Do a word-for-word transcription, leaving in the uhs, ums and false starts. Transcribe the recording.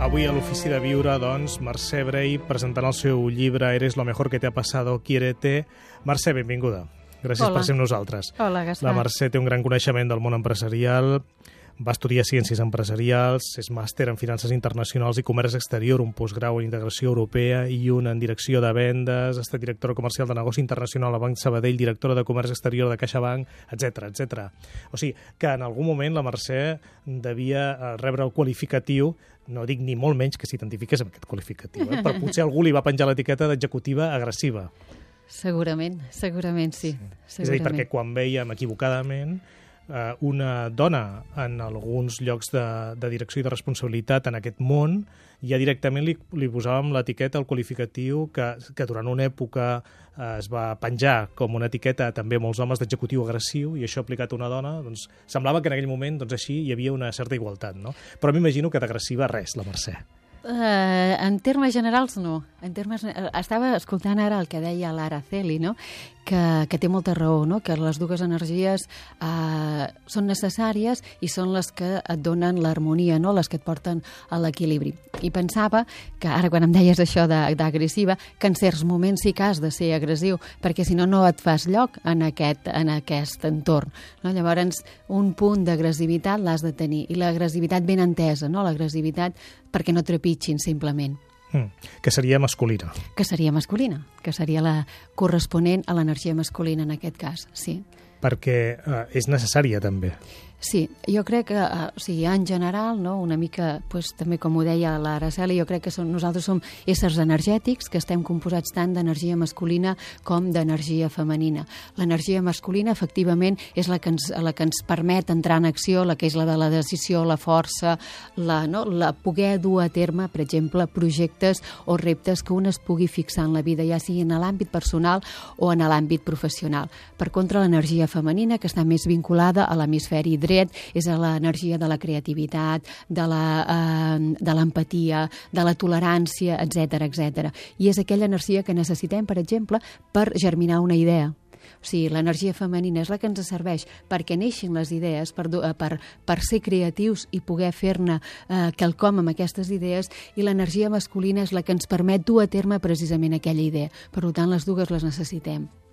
Avui a l'Ofici de Viure, doncs, Mercè Brey presentant el seu llibre Eres lo mejor que te ha pasado, quiérete. Mercè, benvinguda. Gràcies Hola. per ser amb nosaltres. Hola, Gaspar. La Mercè té un gran coneixement del món empresarial, va estudiar Ciències Empresarials, és màster en Finances Internacionals i Comerç Exterior, un postgrau en Integració Europea i un en Direcció de Vendes, ha estat directora comercial de Negoci Internacional a Banc Sabadell, directora de Comerç Exterior de CaixaBank, etcètera, etcètera. O sigui, que en algun moment la Mercè devia rebre el qualificatiu, no dic ni molt menys que s'identifiqués amb aquest qualificatiu, eh? Però potser algú li va penjar l'etiqueta d'executiva agressiva. Segurament, segurament sí. sí. És a dir, perquè quan veiem equivocadament eh, una dona en alguns llocs de, de direcció i de responsabilitat en aquest món, ja directament li, li posàvem l'etiqueta, el qualificatiu, que, que durant una època eh, es va penjar com una etiqueta també a molts homes d'executiu agressiu, i això aplicat a una dona, doncs semblava que en aquell moment doncs, així hi havia una certa igualtat, no? Però m'imagino que d'agressiva res, la Mercè. Uh, en termes generals, no. En termes, estava escoltant ara el que deia l'Araceli, no? que, que té molta raó, no? Que les dues energies uh, són necessàries i són les que et donen l'harmonia, no? Les que et porten a l'equilibri. I pensava que, ara quan em deies això d'agressiva, que en certs moments sí que has de ser agressiu, perquè si no, no et fas lloc en aquest, en aquest entorn. No? Llavors, un punt d'agressivitat l'has de tenir, i l'agressivitat ben entesa, no? L'agressivitat perquè no trepitgin, simplement. Mm, que seria masculina. Que seria masculina, que seria la corresponent a l'energia masculina en aquest cas, sí. Perquè eh, és necessària, també. Sí, jo crec que, uh, o sigui, en general, no, una mica, pues, també com ho deia l'Araceli, jo crec que som, nosaltres som éssers energètics que estem composats tant d'energia masculina com d'energia femenina. L'energia masculina, efectivament, és la que, ens, la que ens permet entrar en acció, la que és la de la decisió, la força, la, no, la poder dur a terme, per exemple, projectes o reptes que un es pugui fixar en la vida, ja sigui en l'àmbit personal o en l'àmbit professional. Per contra, l'energia femenina, que està més vinculada a l'hemisferi dret, és l'energia de la creativitat, de l'empatia, de, de la tolerància, etcètera, etcètera. I és aquella energia que necessitem, per exemple, per germinar una idea. O sigui, l'energia femenina és la que ens serveix perquè neixin les idees, per, per, per ser creatius i poder fer-ne eh, quelcom amb aquestes idees, i l'energia masculina és la que ens permet dur a terme precisament aquella idea. Per tant, les dues les necessitem.